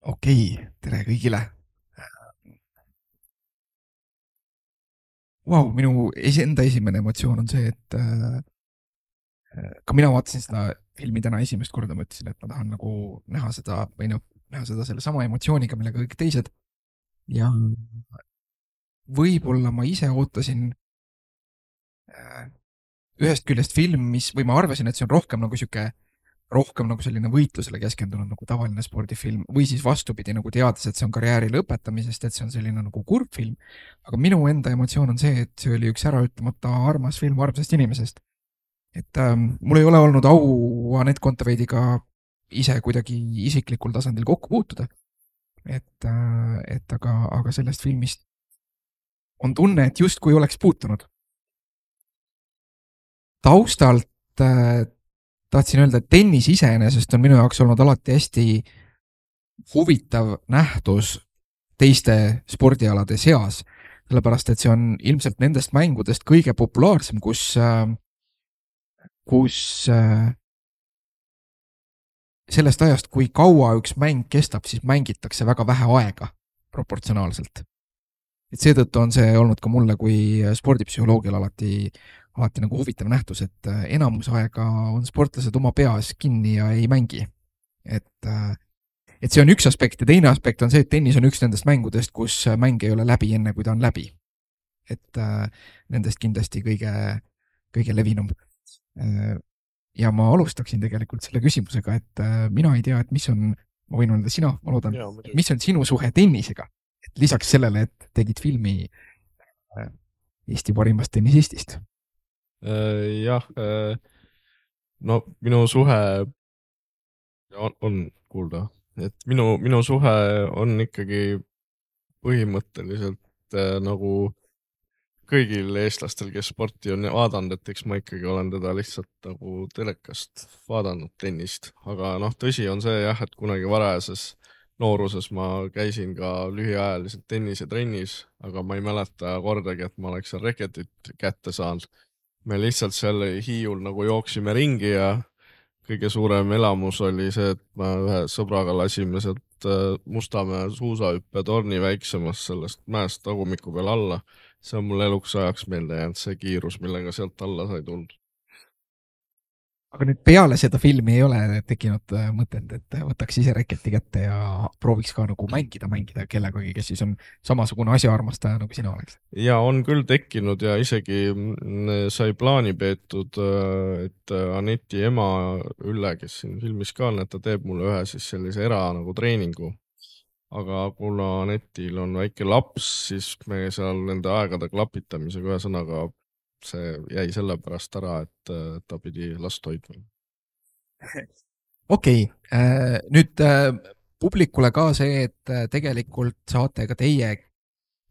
Okei, tere kõigile. Minu enda esimene emotsioon on see, et ka mina vaatasin seda filmi täna esimest korda, mõtlesin, et ma tahan nagu näha seda või noh, näha seda selle sama emotsiooniga, millega kõik teised. Ja võib-olla ma ise ootasin äh, ühest küljest film, või ma arvasin, et see on rohkem nagu selline võitlusele keskendunud nagu tavaline spordifilm või siis vastupidi nagu teades, et see on karjääri lõpetamisest, et see on selline nagu kurb film. Aga minu enda emotsioon on see, et see oli üks äraütlemata armas film armsast inimesest. Et mul ei ole olnud au Anett Kontaveidiga ise kuidagi isiklikul tasandil kokku puutuda. Aga sellest filmist on tunne, et justkui oleks puutunud. Taustalt tahtsin öelda, et tennis iseenesest on minu jaoks olnud alati hästi huvitav nähtus teiste spordialade seas, sellepärast et see on ilmselt nendest mängudest kõige populaarsem, kus sellest ajast, kui kaua üks mäng kestab, siis mängitakse väga vähe aega proportsionaalselt. Et seetõttu on see olnud ka mulle kui spordipsühholoogil alati nagu huvitav nähtus, et enamus aega on sportlased oma peas kinni ja ei mängi. Et see on üks aspekt ja teine aspekt on see, et tennis on üks nendest mängudest, kus mäng ei ole läbi enne, kui ta on läbi. Et nendest kindlasti kõige levinum. Ja ma alustaksin tegelikult selle küsimusega, et mina ei tea, et mis on, ma võin öelda sina, ma loodan, et mis on sinu suhe tennisega? Et lisaks sellele, et tegid filmi Eesti parimast tennisistist. Jah, no minu suhe on kuulda, et minu suhe on ikkagi põhimõtteliselt nagu kõigil eestlastel, kes sporti on vaadanud, et eks ma ikkagi olen teda lihtsalt nagu telekast vaadanud tennist, aga noh, tõsi on see jah, et kunagi varajases nooruses ma käisin ka lühiajaliselt tennisetrennis, aga ma ei mäleta kordagi, et ma oleks seal reketit kätte saanud. Me lihtsalt seal Hiiul nagu jooksime ringi ja kõige suurem elamus oli see, et ma ühe sõbraga lasime sealt Mustamäe suusahüppetorni väiksemast sellest mäest tagumiku peal alla. See on mul eluks ajaks meelde jäänud, see kiirus, millega sealt alla sai tulnud. Aga nüüd peale seda filmi ei ole tekkinud mõtet, et võtaks ise reketi kätte ja prooviks ka nagu mängida kellegagi, kes siis on samasugune asjaarmastaja nagu sina oleks? Ja on küll tekkinud ja isegi sai plaani peetud, et Aneti ema Ülle, kes siin filmis ka on, et ta teeb mulle ühe siis sellise nagu treeningu. Aga kuna Anetil on väike laps, siis me seal nende aegade klapitamisega ühe sõnaga see jäi selle pärast ära, et ta pidi last hoidma. Okei, nüüd publikule ka see, et tegelikult saate ka teie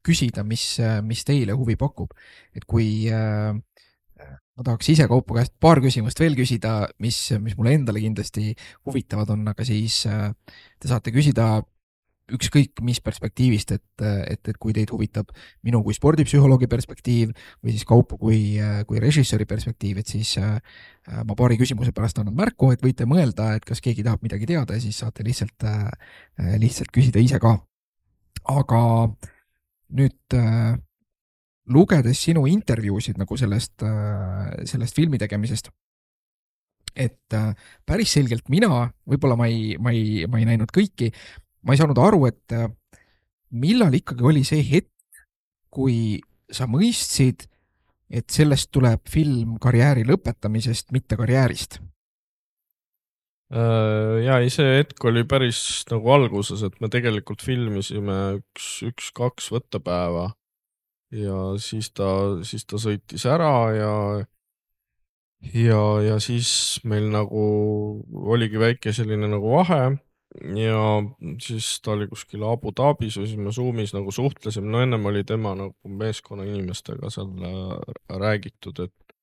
küsida, mis teile huvi pakub. Et kui ma tahaks ise Kaupo käest paar küsimust veel küsida, mis mulle endale kindlasti huvitavad on, aga siis te saate küsida ükskõik mis perspektiivist, et kui teid huvitab minu kui spordipsühholoogi perspektiiv või siis Kaupo kui režissööri perspektiiv, et siis ma paari küsimuse pärast annan märku, et võite mõelda, et kas keegi tahab midagi teada ja siis saate lihtsalt küsida ise ka. Aga nüüd lugedes sinu intervjuusid nagu sellest filmi tegemisest, et päris selgelt mina, võib-olla ma ei näinud kõiki, ma ei saanud aru, et millal ikkagi oli see hetk, kui sa mõistsid, et sellest tuleb film karjääri lõpetamisest, mitte karjäärist? Ja see hetk oli päris nagu alguses, et me tegelikult filmisime üks-kaks võttepäeva ja siis ta sõitis ära ja siis meil nagu oligi väike selline nagu vahe ja siis ta oli kuskil Abu Dhabis või siis me Zoomis nagu suhtlesime, no ennem oli tema nagu meeskonna inimestega seal räägitud, et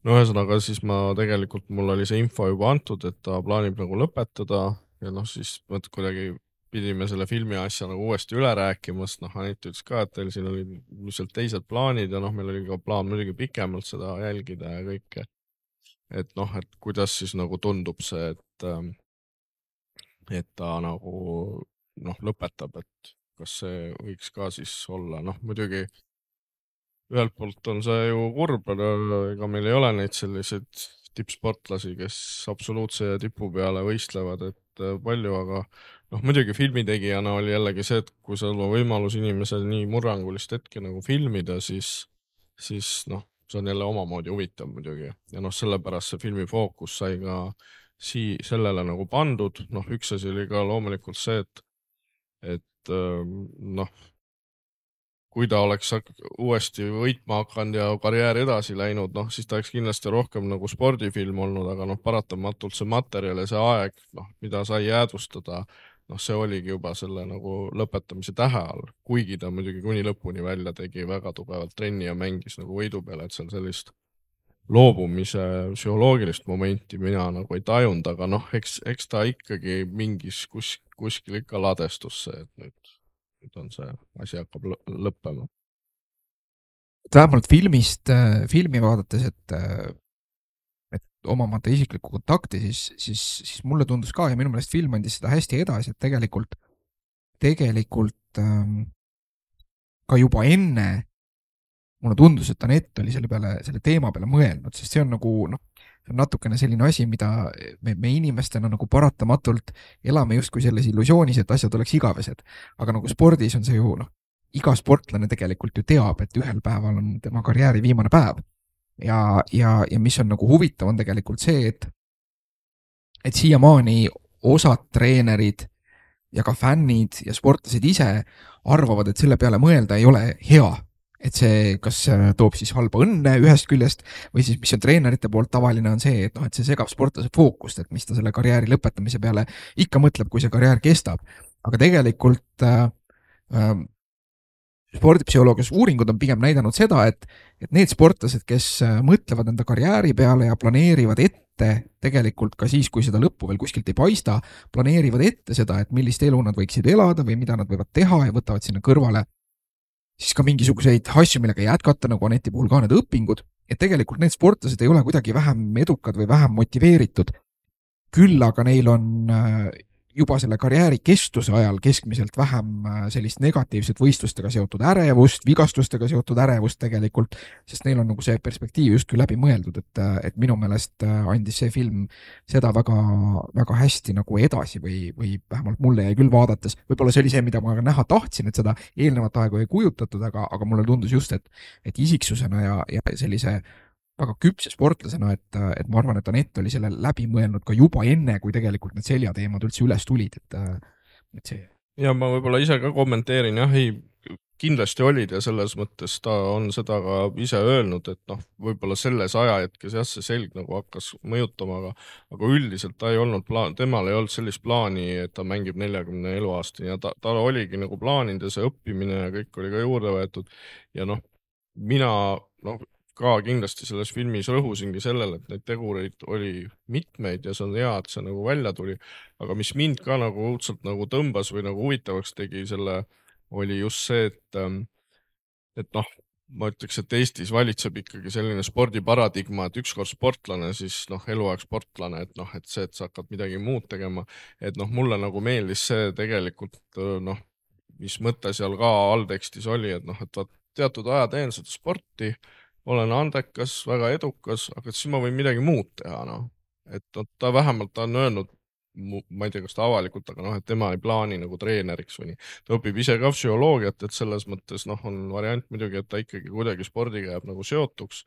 no ühesõnaga siis mul oli see info juba antud, et ta plaanib nagu lõpetada ja noh, siis kuidagi pidime selle filmi asja nagu uuesti üle rääkima, sest noh, Anett ütles ka, et teil siin oli lihtsalt teised plaanid ja noh, meil oli ka plaan muidugi pikemalt seda jälgida ja kõike. Et noh, et kuidas siis nagu tundub see, et ta nagu noh, lõpetab, et kas see võiks ka siis olla, noh muidugi ühelt poolt on see ju kurb, ega meil ei ole neid selliseid tippsportlasi, kes absoluutse tipu peale võistlevad, et palju, aga noh, muidugi filmitegijana oli jällegi see, et kui sul on võimalus inimesel nii murrangulist hetke nagu filmida, siis noh, see on jälle omamoodi huvitav muidugi. Ja noh, sellepärast see filmi fookus sai ka sellele nagu pandud, noh, üks asi oli ka loomulikult see, et noh, kui ta oleks uuesti võitma hakanud ja karjäär edasi läinud, noh, siis ta oleks kindlasti rohkem nagu spordifilm olnud, aga noh, paratamatult see materjal ja see aeg, noh, mida sai jäädvustada, noh, see oligi juba selle nagu lõpetamise tähe all, kuigi ta muidugi kuni lõpuni välja tegi väga tugevalt trenni ja mängis nagu võidu peale, et seal sellist loobumise psühholoogilist momenti mina nagu ei tajunud, aga noh, eks ta ikkagi mingis kuskil ikka ladestus see, et nüüd on see asi hakkab lõppema. Vähemalt filmi vaadates, et omamata isiklikku kontakti, siis mulle tundus ka ja minu meelest film andis seda hästi edasi, et tegelikult ka juba enne mulle tundus, et Anett oli selle teema peale mõelnud, sest see on nagu noh, see on natukene selline asi, mida me inimestena nagu paratamatult elame justkui selles illusioonis, et asjad oleks igavesed. Aga nagu spordis on see ju, noh, iga sportlane tegelikult ju teab, et ühel päeval on tema karjääri viimane päev. Ja mis on nagu huvitav, on tegelikult see, et siiamaani osad treenerid ja ka fännid ja sportlased ise arvavad, et selle peale mõelda ei ole hea. Et see, kas toob siis halba õnne ühest küljest või siis, mis on treenerite poolt tavaline, on see, et noh, et see segab sportlase fookust, et mis ta selle karjääri lõpetamise peale ikka mõtleb, kui see karjäär kestab. Aga tegelikult spordipsühholoogias uuringud on pigem näidanud seda, et need sportlased, kes mõtlevad enda karjääri peale ja planeerivad ette tegelikult ka siis, kui seda lõppu veel kuskilt ei paista, planeerivad ette seda, et millist elu nad võiksid elada või mida nad võivad teha ja võtavad sinna kõrvale siis ka mingisuguseid asju, millega jätkata, nagu Aneti puhul ka need õpingud, et tegelikult need sportlased ei ole kuidagi vähem edukad või vähem motiveeritud. Küll aga neil on juba selle karjääri kestuse ajal keskmiselt vähem sellist negatiivset võistlustega seotud ärevust, vigastustega seotud ärevust tegelikult, sest neil on nagu see perspektiiv justkui läbi mõeldud, et minu meelest andis see film seda väga, väga hästi nagu edasi või vähemalt mulle jäi küll vaadates. Võib-olla see oli see, mida ma näha tahtsin, et seda eelnevat aegu ei kujutatud, aga mulle tundus just, et isiksusena ja sellise väga küpse sportlasena, et ma arvan, et Anett oli selle läbi mõelnud ka juba enne, kui tegelikult need seljateemad üldse üles tulid, et see. Ja ma võib-olla ise ka kommenteerin, jah, ei, kindlasti olid ja selles mõttes ta on seda ka ise öelnud, et noh, võib-olla selles ajahetkes jah, see selg nagu hakkas mõjutama, aga üldiselt ta ei olnud temal ei olnud sellist plaani, et ta mängib 40 eluaastani ja ta oligi nagu plaaninud ja see õppimine ja kõik oli ka juurde võetud ja noh, mina ka kindlasti selles filmis rõhusingi sellele, et neid tegureid oli mitmeid ja see on hea, et see nagu välja tuli, aga mis mind ka nagu õudselt nagu tõmbas või nagu huvitavaks tegi selle, oli just see, et noh, ma ütleks, et Eestis valitseb ikkagi selline spordiparadigma, et ükskord sportlane, siis noh, eluaeg sportlane, et noh, et see, et sa hakkad midagi muud tegema, et noh, mulle nagu meeldis see tegelikult noh, mis mõte seal ka alltekstis oli, et noh, et teatud aja teen seda sporti, olen andekas, väga edukas, aga siis ma võin midagi muud teha, noh. Et ta vähemalt on öelnud, ma ei tea, kas ta avalikult, aga noh, et tema ei plaani nagu treeneriks või nii. Ta õpib ise ka psühholoogiat, et selles mõttes noh, on variant muidugi, et ta ikkagi kuidagi spordiga jääb nagu seotuks,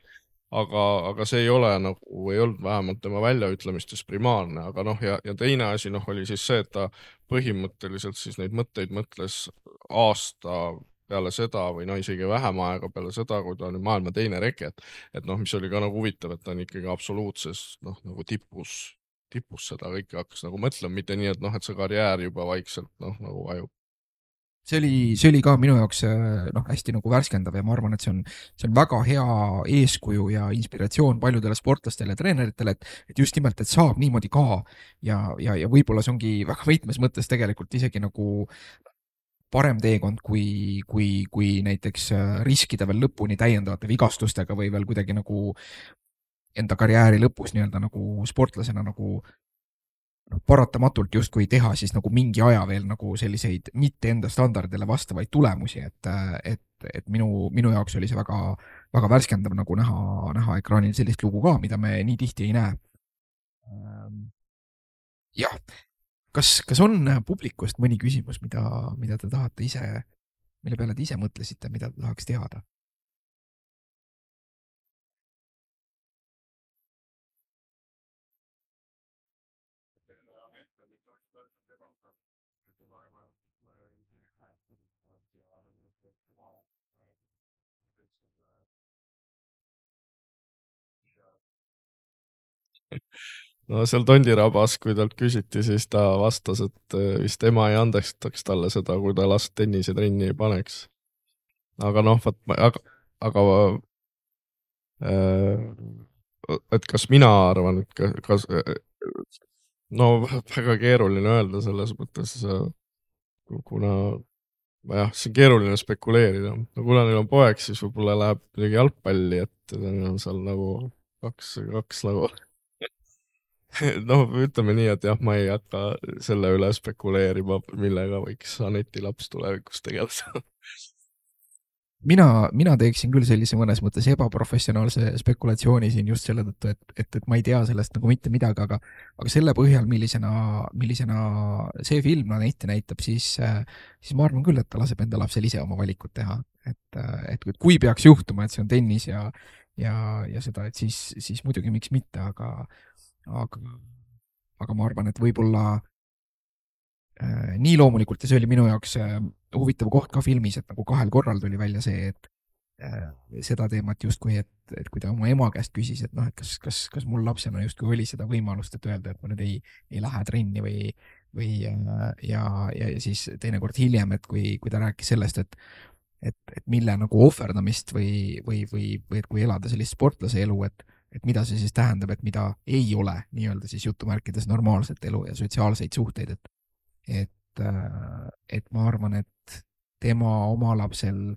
aga see ei ole nagu, ei olnud vähemalt tema väljaütlemistes primaarne, aga noh, ja teine asi noh, oli siis see, et ta põhimõtteliselt siis neid mõtteid mõtles aasta peale seda või no isegi vähem aega peale seda, kui ta on maailma teine reket, et noh, mis oli ka nagu huvitav, et ta on ikkagi absoluutses noh, nagu tipus seda kõike hakkas nagu mõtlema, mitte nii, et noh, et see karjäär juba vaikselt noh, nagu vajub. See oli ka minu jaoks noh, hästi nagu värskendav ja ma arvan, et see on väga hea eeskuju ja inspiratsioon paljudele sportlastele ja treeneritele, et just nimelt, et saab niimoodi ka ja võib-olla see ongi väga võitmes mõttes tegelikult isegi nagu parem teekond, kui näiteks riskida veel lõpuni täiendavate vigastustega või veel kuidagi nagu enda karjääri lõpus nii-öelda nagu sportlasena nagu paratamatult justkui teha siis nagu mingi aja veel nagu selliseid mitte enda standardile vastavaid tulemusi, et minu jaoks oli see väga, väga värskendav nagu näha ekraanil sellist lugu ka, mida me nii tihti ei näe. Jah, kas on publikust mõni küsimus, mida te tahate ise, mille peale te ise mõtlesite, mida te tahaks teada? no seal Tondirabas, kui talt küsiti, siis ta vastas, et vist ema ei andestaks talle seda, kui ta last tennisetrenni ei paneks. aga noh, aga et kas mina arvan, et kas no väga keeruline öelda selles mõttes, kuna jah, see on keeruline spekuleerida. no kuna neil on poeg, siis võib-olla läheb midagi jalgpalli, et neil on seal nagu kaks nagu noh, ütleme nii, et jah, ma ei hakka selle üle spekuleerima, millega võiks Aneti laps tulevikus tegeleda. mina teeksin küll sellise mõnes mõttes ebaprofessionaalse spekulatsiooni siin just selle tõttu, et ma ei tea sellest nagu mitte midagi, aga selle põhjal, millisena see film ette näitab, siis ma arvan küll, et ta laseb enda lapsel ise oma valikut teha. Et kui peaks juhtuma, et see on tennis ja seda, et siis muidugi miks mitte, aga ma arvan, et võib-olla nii loomulikult, ja see oli minu jaoks huvitav koht ka filmis, et nagu 2 korral tuli välja see, et seda teemat justkui, et kui ta oma ema käest küsis, et noh, et kas mul lapsena justkui oli seda võimalust, et öelda, et ma nüüd ei lähe trenni või ja siis teinekord hiljem, et kui ta rääkis sellest, et mille nagu ohverdamist või et kui elada sellist sportlase elu, et mida see siis tähendab, et mida ei ole nii-öelda siis jutumärkides normaalset elu ja sotsiaalseid suhteid, et ma arvan, et tema oma lapsel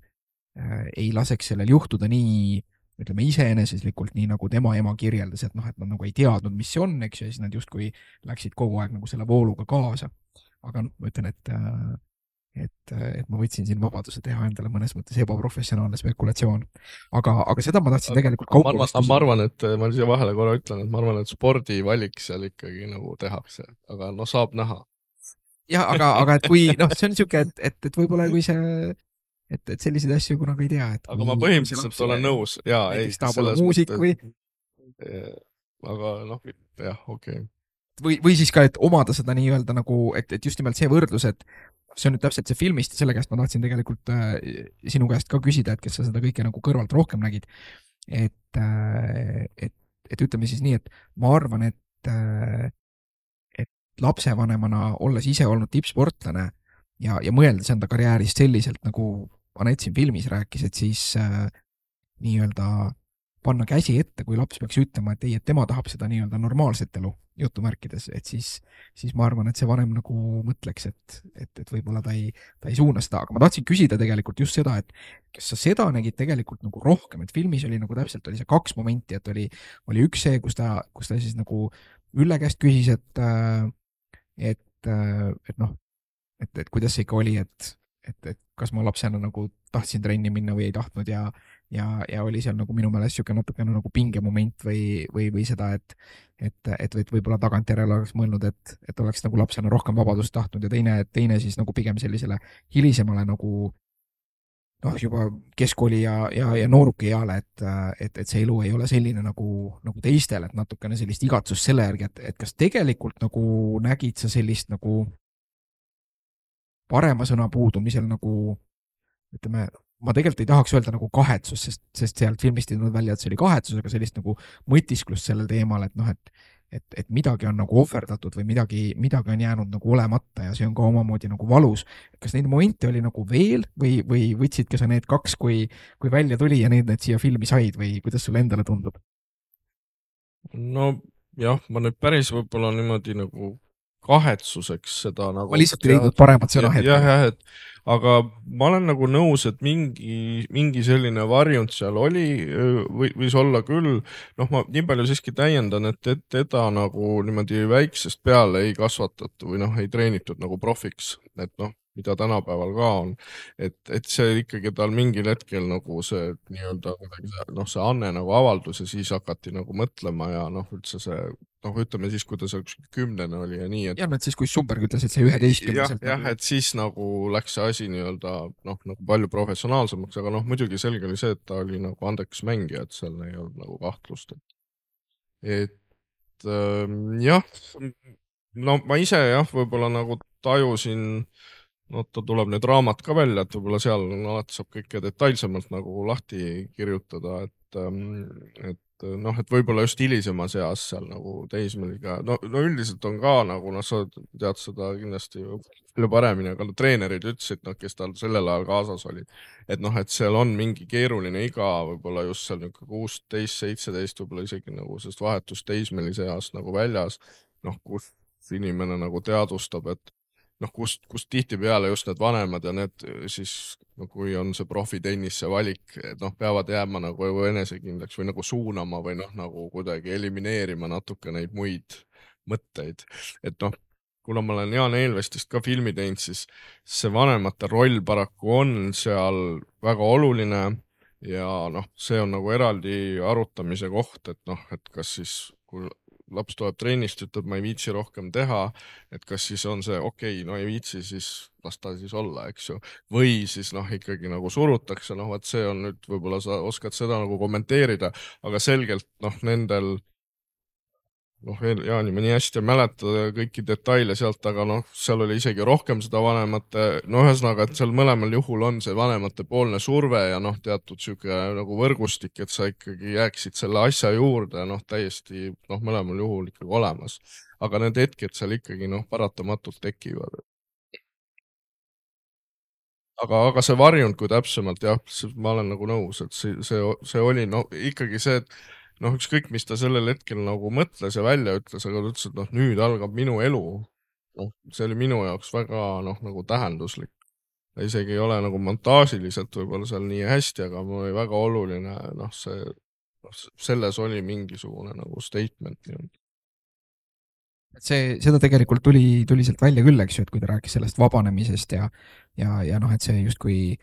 ei laseks sellel juhtuda nii, ütleme iseeneseslikult, nii nagu tema ema kirjeldas, et noh, et nad nagu ei teadnud, mis see on, eks ju, ja siis nad justkui läksid kogu aeg nagu selle vooluga kaasa. aga ma ütlen, et ma võtsin siin vabaduse teha endale mõnes mõttes ebaprofessionaalne spekulatsioon. aga seda ma tahtsin tegelikult kauplusest. Ma arvan, et ma siia vahele korra ütlen, et ma arvan, et spordivalik seal ikkagi nagu tehakse, aga no saab näha. jah, aga et kui, noh, see on niisugune, et võib-olla kui see, et selliseid asju kunagi ei tea. aga ma põhimõtteliselt olen nõus, jaa, ei, selles muusik mõttes. Aga noh, jah, okei. Või siis ka, et omada seda nii-öelda nagu, et just nimelt see võrdlus, et see on nüüd täpselt see filmist ja selle käest ma tahtsin tegelikult sinu käest ka küsida, et kes sa seda kõike nagu kõrvalt rohkem nägid. Et ütleme siis nii, et ma arvan, et lapsevanemana, olles ise olnud tippsportlane ja mõeldes enda karjäärist selliselt, nagu Anett siin filmis rääkis, et siis nii-öelda panna käsi ette, kui laps peaks ütlema, et ei, et tema tahab seda nii-öelda normaalset elu, jutumärkides, et siis ma arvan, et see vanem nagu mõtleks, et võib-olla ta ei suuna seda, aga ma tahtsin küsida tegelikult just seda, et kas sa seda nägid tegelikult nagu rohkem, et filmis oli nagu täpselt oli see 2 momenti, et oli üks see, kus ta siis nagu Ülle käest küsis, et noh, et kuidas see ikka oli, et kas ma lapsena nagu tahtsin trenni minna või ei tahtnud ja oli seal nagu minu meelest niisugune natukene nagu pingemoment või seda, et võib-olla tagantjärele oleks mõelnud, et oleks nagu lapsena rohkem vabadust tahtnud ja teine siis nagu pigem sellisele hilisemale nagu noh, juba keskkooli ja nooruki eale, et see elu ei ole selline nagu teistel, et natukene sellist igatsust selle järgi, et kas tegelikult nagu nägid sa sellist nagu parema sõna puudumisel nagu ütleme, ma tegelikult ei tahaks öelda nagu kahetsus, sest sealt filmist ei tulnud välja, et see oli kahetsus, aga sellist nagu mõtisklust sellel teemal, et noh, et midagi on nagu ohverdatud või midagi on jäänud nagu olemata ja see on ka omamoodi nagu valus. Kas neid momente oli nagu veel või võtsidki sa need 2, kui välja tuli ja need siia filmi said või kuidas sulle endale tundub? No jah, ma nüüd päris võib-olla niimoodi nagu kahetsuseks seda ma nagu lihtsalt ei leidnud paremat sõna hetkel. jah, et aga ma olen nagu nõus, et mingi selline varjund seal oli, võis olla küll. Noh, ma nii palju siiski täiendan, et teda nagu niimoodi väiksest peale ei kasvatatud või noh, ei treenitud nagu profiks, et noh, mida tänapäeval ka on, et see ikkagi tal mingil hetkel nagu see nii-öelda noh, see anne nagu avaldus ja siis hakati nagu mõtlema ja noh, üldse see noh, ütleme siis, kui ta seal 10. oli ja nii, et jah, et siis, kui Sumberg ütles, et see 11. jah, et siis nagu läks see asi nii-öelda noh, nagu palju professionaalsemaks, aga noh, muidugi selge oli see, et ta oli nagu andekas mängija, et seal ei olnud nagu kahtlust, et jah, no ma ise jah, võib-olla nagu tajusin, no ta tuleb nüüd raamat ka välja, et võib-olla seal alati saab kõike detailsemalt nagu lahti kirjutada, et noh, et võib-olla just hilisemas eas seal nagu teismeliga, no üldiselt on ka nagu, noh, sa tead seda kindlasti palju paremini, aga treenerid ütlesid, noh, kes tal sellel ajal kaasas olid, et noh, et seal on mingi keeruline iga, võib-olla just seal niisugune 16, 17, võib-olla isegi nagu sellest vahetust teismelise east nagu väljas, noh, kus inimene nagu teadvustab, et noh, kust tihtipeale just need vanemad ja need siis, no kui on see profitennisse valik, et noh, peavad jääma nagu enesekindlaks või nagu suunama või noh, nagu kuidagi elimineerima natuke neid muid mõtteid. Et noh, kuna ma olen Jaan Eelvestist ka filmi teinud, siis see vanemate roll paraku on seal väga oluline ja noh, see on nagu eraldi arutamise koht, et noh, et kas siis, kui laps tuleb trennist, ütleb, ma ei viitsi rohkem teha, et kas siis on see okei, no ei viitsi, siis las ta siis olla, eks ju. Või siis noh, ikkagi nagu surutakse, noh, vaat see on nüüd, võib-olla sa oskad seda nagu kommenteerida, aga selgelt noh, nendel noh, Jaani ma nii hästi ei mäleta kõiki detaile sealt, aga noh, seal oli isegi rohkem seda vanemate, no ühesõnaga, et seal mõlemal juhul on see vanemate poolne surve ja noh, teatud sihuke nagu võrgustik, et sa ikkagi jääksid selle asja juurde, noh, täiesti noh, mõlemal juhul ikkagi olemas. Aga need hetked seal ikkagi noh, paratamatult tekivad. Aga see varjund, kui täpsemalt jah, ma olen nagu nõus, et see oli no ikkagi see, et noh, ükskõik, mis ta sellel hetkel nagu mõtles ja välja ütles, aga ta ütles, et noh, nüüd algab minu elu. Noh, see oli minu jaoks väga noh, nagu tähenduslik. Ta isegi ei ole nagu montaažiliselt võib-olla seal nii hästi, aga mul oli väga oluline, noh, selles oli mingisugune nagu statement nii-öelda. Seda tegelikult tuli sealt välja küll, eks ju, et kui ta rääkis sellest vabanemisest ja noh, et see justkui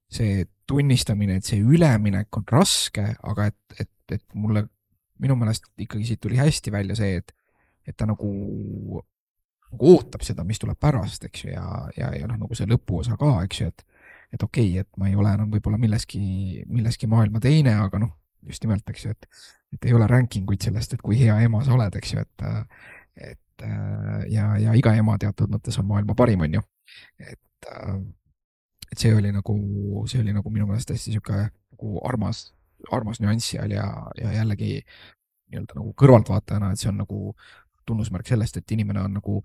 see tunnistamine, et see üleminek on raske, aga et minu meelest ikkagi siit tuli hästi välja see, et ta nagu ootab seda, mis tuleb pärast, eks ju, ja noh, nagu see lõpuosa ka, eks ju, et okei, et ma ei ole enam võib-olla milleski maailma teine, aga noh, just nimelt, eks ju, et ei ole rankinguid sellest, et kui hea ema sa oled, eks ju, ja iga ema teatud mõttes on maailma parim, on ju. Et see oli nagu minu meelest hästi sihuke nagu armas nüanss seal ja jällegi nii-öelda nagu kõrvaltvaatajana, et see on nagu tunnusmärk sellest, et inimene on nagu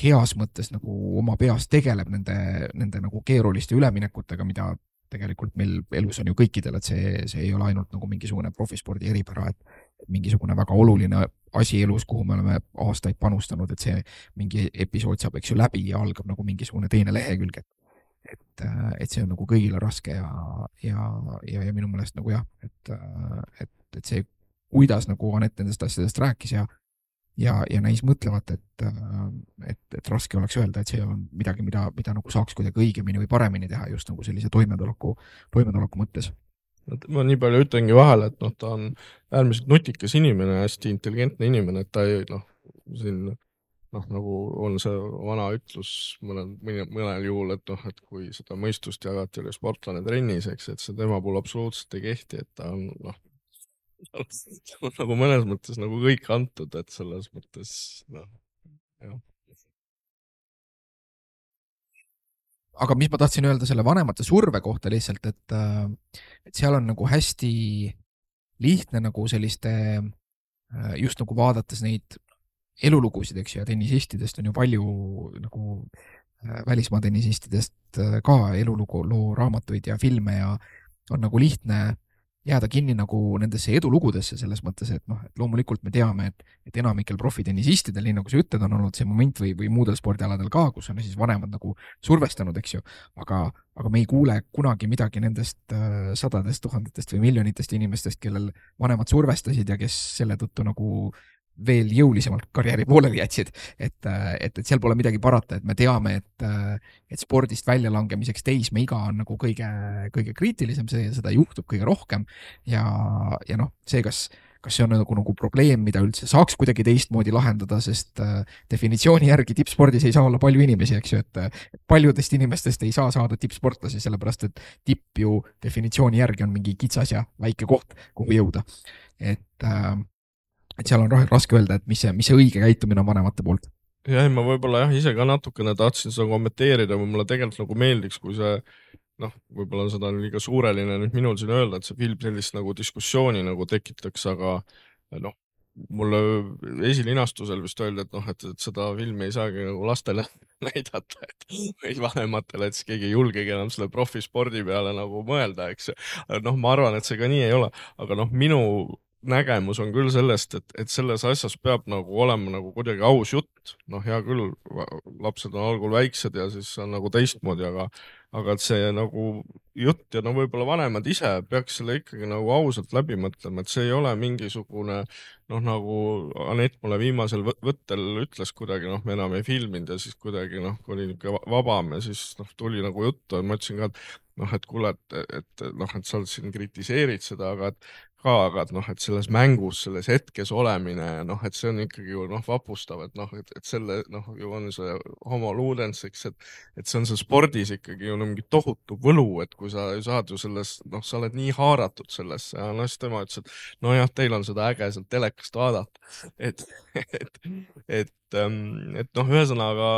heas mõttes nagu oma peas tegeleb nende nagu keeruliste üleminekutega, mida tegelikult meil elus on ju kõikidel, et see ei ole ainult nagu mingisugune profispordi eripära, et mingisugune väga oluline asi elus, kuhu me oleme aastaid panustanud, et see mingi episood saab, eks ju, läbi ja algab nagu mingisugune teine lehekülg, et see on nagu kõigile raske ja minu meelest nagu jah, et see, kuidas nagu Anett nendest asjadest rääkis ja näis mõtlevat, et raske oleks öelda, et see on midagi, mida nagu saaks kuidagi õigemini või paremini teha just nagu sellise toimetuleku mõttes. Ma nii palju ütlengi vahele, et noh, ta on äärmiselt nutikas inimene, hästi intelligentne inimene, et ta ei noh, siin noh, nagu on see vana ütlus mõnel juhul, et noh, et kui seda mõistust jagati oli sportlane trennis, eks, et see tema puhul absoluutselt ei kehti, et ta on noh, nagu mõnes mõttes nagu kõik antud, et selles mõttes noh, jah. Aga mis ma tahtsin öelda selle vanemate surve kohta lihtsalt, et seal on nagu hästi lihtne nagu selliste, just nagu vaadates neid elulugusid, eks ju, ja tennisistidest on ju palju nagu välismaa tennisistidest ka eluloo raamatuid ja filme ja on nagu lihtne jääda kinni nagu nendesse edulugudesse selles mõttes, et noh, et loomulikult me teame, et enamikel profitennisistidel, nii nagu sa ütled, on olnud see moment või muudel spordialadel ka, kus on siis vanemad nagu survestanud, eks ju, aga me ei kuule kunagi midagi nendest sadadest tuhandetest või miljonitest inimestest, kellel vanemad survestasid ja kes selle tõttu nagu veel jõulisemalt karjääri pooleli jätsid, et seal pole midagi parata, et me teame, et spordist väljalangemiseks teismeiga on nagu kõige kriitilisem, seda juhtub kõige rohkem ja noh, see, kas see on nagu probleem, mida üldse saaks kuidagi teistmoodi lahendada, sest definitsiooni järgi tippspordis ei saa olla palju inimesi, eks ju, et paljudest inimestest ei saa saada tippsportlasi, sellepärast et tipp ju definitsiooni järgi on mingi kitsas ja väike koht, kuhu jõuda. Et seal on raske öelda, et mis see õige käitumine on vanemate poolt. Ja ma võib-olla ise ka natukene tahtsin seda kommenteerida, või mulle tegelikult nagu meeldiks, kui see võib-olla seda on liiga suureline nüüd minul siin öelda, et see film sellist nagu diskussiooni nagu tekitaks, aga mulle esilinastusel vist öeldi, et seda filmi ei saagi nagu lastele näidata, või vanematele, et siis keegi ei julgegi enam selle profispordi peale nagu mõelda, eks. Ma arvan, et see ka nii ei ole, aga minu nägemus on küll sellest, et selles asjas peab nagu olema nagu kuidagi aus jutt. Hea küll, lapsed on algul väiksed ja siis on nagu teistmoodi, aga et see nagu jutt ja võib-olla vanemad ise peaks selle ikkagi nagu ausalt läbi mõtlema, et see ei ole mingisugune, nagu Anett mulle viimasel võttel ütles kuidagi, me enam ei filminud ja siis kuidagi, kui oli niisugune vabam ja siis tuli nagu juttu ja ma ütlesin ka, et kuule, et sa siin kritiseerid seda, aga et selles mängus, selles hetkes olemine ja et see on ikkagi ju vapustav, et selle ju on see homo ludens, eks, et see on see spordis ikkagi ju mingi tohutu võlu, et kui sa saad ju selles, sa oled nii haaratud sellesse ja siis tema ütles, et nojah, teil on seda äge sealt telekast vaadata, et ühesõnaga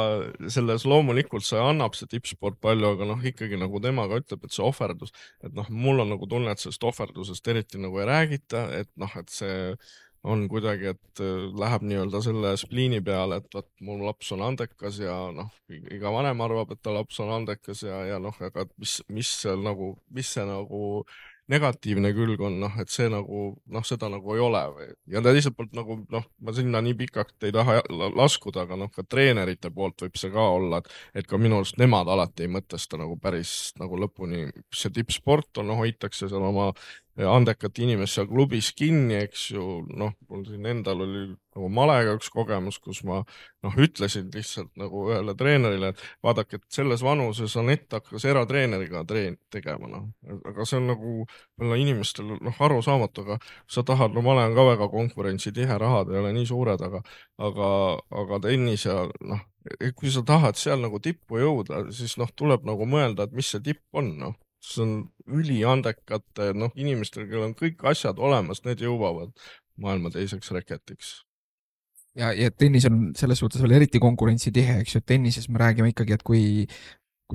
selles loomulikult see annab see tippsport palju, aga ikkagi nagu tema ka ütleb, et see ohverdus, et mul on nagu tunne, et sellest ohverdusest eriti nagu ei räägita, et see on kuidagi, et läheb nii-öelda selle spliini peale, et mul laps on andekas ja iga vanem arvab, et ta laps on andekas ja aga mis see nagu negatiivne külg on, et see nagu, seda nagu ei ole. Ja teiselt poolt nagu, ma sinna nii pikalt ei taha laskuda, aga ka treenerite poolt võib see ka olla, et ka minu arust nemad alati ei mõtesta nagu päris nagu lõpuni, see tippsport on, hoitakse seal oma andekat inimest seal klubis kinni, eks ju, mul siin endal oli nagu malega üks kogemus, kus ma ütlesin lihtsalt nagu ühele treenerile, et vaadake, et selles vanuses Anett hakkas eratreeneriga tegema, aga see on nagu inimestel aru saamatu, aga sa tahad, ma olen ka väga konkurentsitihe, rahad ei ole nii suured, aga tennis ja kui sa tahad seal nagu tippu jõuda, siis tuleb nagu mõelda, et mis see tipp on, see on üliandekate inimestel, kellel on kõik asjad olemas, need jõuavad maailma teiseks reketiks. Ja tennis on selles suhtes veel eriti konkurentsitihe, eks ju, et tennises me räägime ikkagi, et kui